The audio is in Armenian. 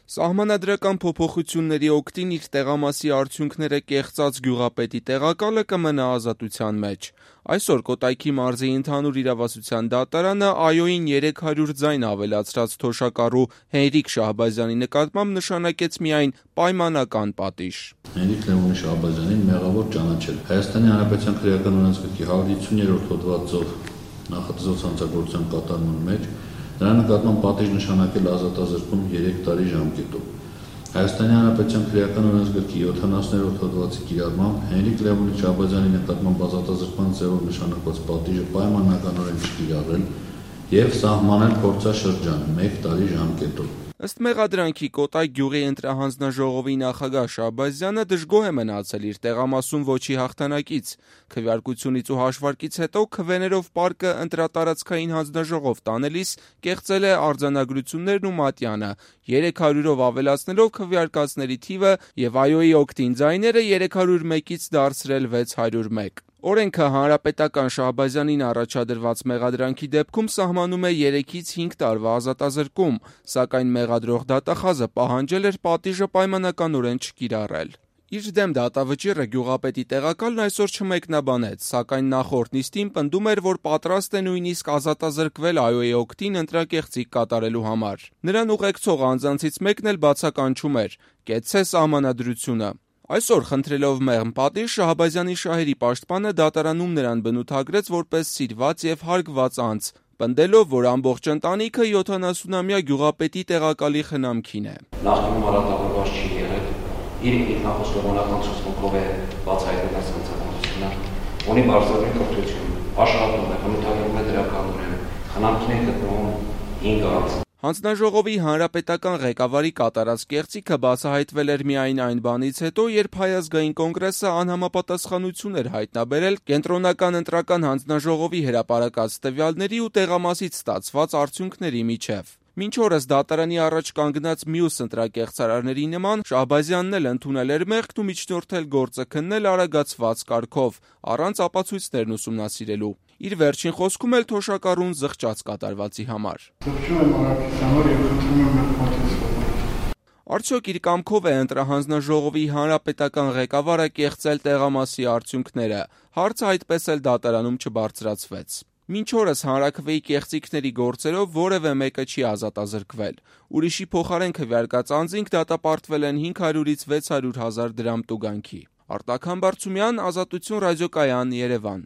Սահմանադրական փոփոխությունների օգտին իր տեղամասի արդյունքները կեղծած գյուղապետի տեղակալը կմնա ազատության մեջ։ Այսօր Կոտայքի մարզի ընդհանուր իրավասության դատարանը ԱՅՈ-ին 300 ձայն ավելացրած թոշակառու Հենրիկ Շահբազյանի նկատմամբ նշանակեց միայն պայմանական պատիժ։ Հենրիկ Լևոնի Շահբազյանին մեղավոր ճանաչել Հայաստանի Հանրապետության քրեական օրենսգրքի 150-րդ հոդվածով նախատեսված հանցագործության կատարման մեջ նրա նկատմամբ պատիժ նշանակել ազատազրկում 3 տարի ժամկետով։ Հայաստանի Հանրապետության քրեական օրենսգրքի 70-րդ հոդվածի կիրառմամբ Հենրիկ Լևոնի Շահբազյանի նկատմամբ ազատազրկման ձևով նշանակված պատիժը պայմանականորեն չկիրառել եւ սահմանել փորձաշրջան 1 տարի ժամկետով։ Ըստ մեղադրանքի Կոտայք գյուղի ընտրահանձնաժողովի նախագահ Շահբազյանը դժգոհ է մնացել իր տեղամասում ոչի հաղթանակից։ Քվեարկությունից ու հաշվարկից հետո քվեներով պարկը ընտրատարածքային հանձնաժողով տանելիս կեղծել է արձանագրություններն ու մատյանը, 300-ով ավելացնելով քվեարկածների թիվը եւ ԱՅՈ-ի օգտին ձայները 301-ից դարձրել 601։ Օրենքը հանրապետական Շահբազյանին առաջադրված մեղադրանքի դեպքում սահմանում է 3-ից 5 տարվա ազատազրկում, սակայն մեղադրող դատախազը պահանջել էր պատիժը պայմանականորեն չկիրառել։ Իր դեմ դատավճիռը գյուղապետի տեղակալն այսօր չմեկնաբանեց, սակայն նախորդ նիստին պնդում էր, որ պատրաստ է նույնիսկ ազատազրկվել ԱՅՈ-ի օգտին ընտրակեղծիք կատարելու համար։ Նրան ուղեկցող անձանցից մեկն էլ բացականչում էր՝ կեցցե սահմանադրությունը։ Այսօր խնդրելով մեղմ պատիժ Շահբազյանի շահերի պաշտպանը դատարանում նրան բնութագրեց որպես սիրված եւ հարգված անձ, պնդելով, որ ամբողջ ընտանիքը 70-ամյա գյուղապետի տեղակալի խնամքին է։ Նախկինում արատավորված չի եղել, իր ինքնախոստովանական ցուցմունքով է բացահայտել այս հանցագործությունը, ունի բարձրագույն կրթություն, աշխատում է, բնութագրվում է դրականորեն, խնամքին է գտնվում 5 ամիս։ Հանձնաժողովի հանրապետական ղեկավարի կատարած կեղծիքը բացահայտվել էր միայն այն բանից հետո, երբ Հայ ազգային կոնգրեսը անհամապատասխանություն էր հայտնաբերել կենտրոնական ընտրական հանձնաժողովի հրապարակած տվյալների ու տեղամասից ստացված արդյունքների միջև։ Մինչ օրս դատարանի առաջ կանգնած մյուս ընտրակեղծարարների նման Շահբազյանն էլ ընդունել էր մեղքն ու միջնորդել գործը քննել արագացված կարգով, առանց ապացույցներն ուսումնասիրելու։ Իր վերջին խոսքում էլ թոշակառուն զղջաց կատարվածի համար։ Արդյոք իր կամքով է ընտրահանձնաժողովի հանրապետական ղեկավարը կեղծել տեղամասի արդյունքները։ Հարցը այդպես էլ դատարանում չբարձրացվեց։ Մինչ օրս հանրաքվեի կեղծիքների գործերով որևէ մեկը չի ազատազրկվել։ Ուրիշի փոխարեն քվեարկած անձինք դատապարտվել են 500-ից 600 հազար դրամ տուգանքի։ Արտակ Համբարձումյան, Ազատություն ռադիոկայան, Երևան։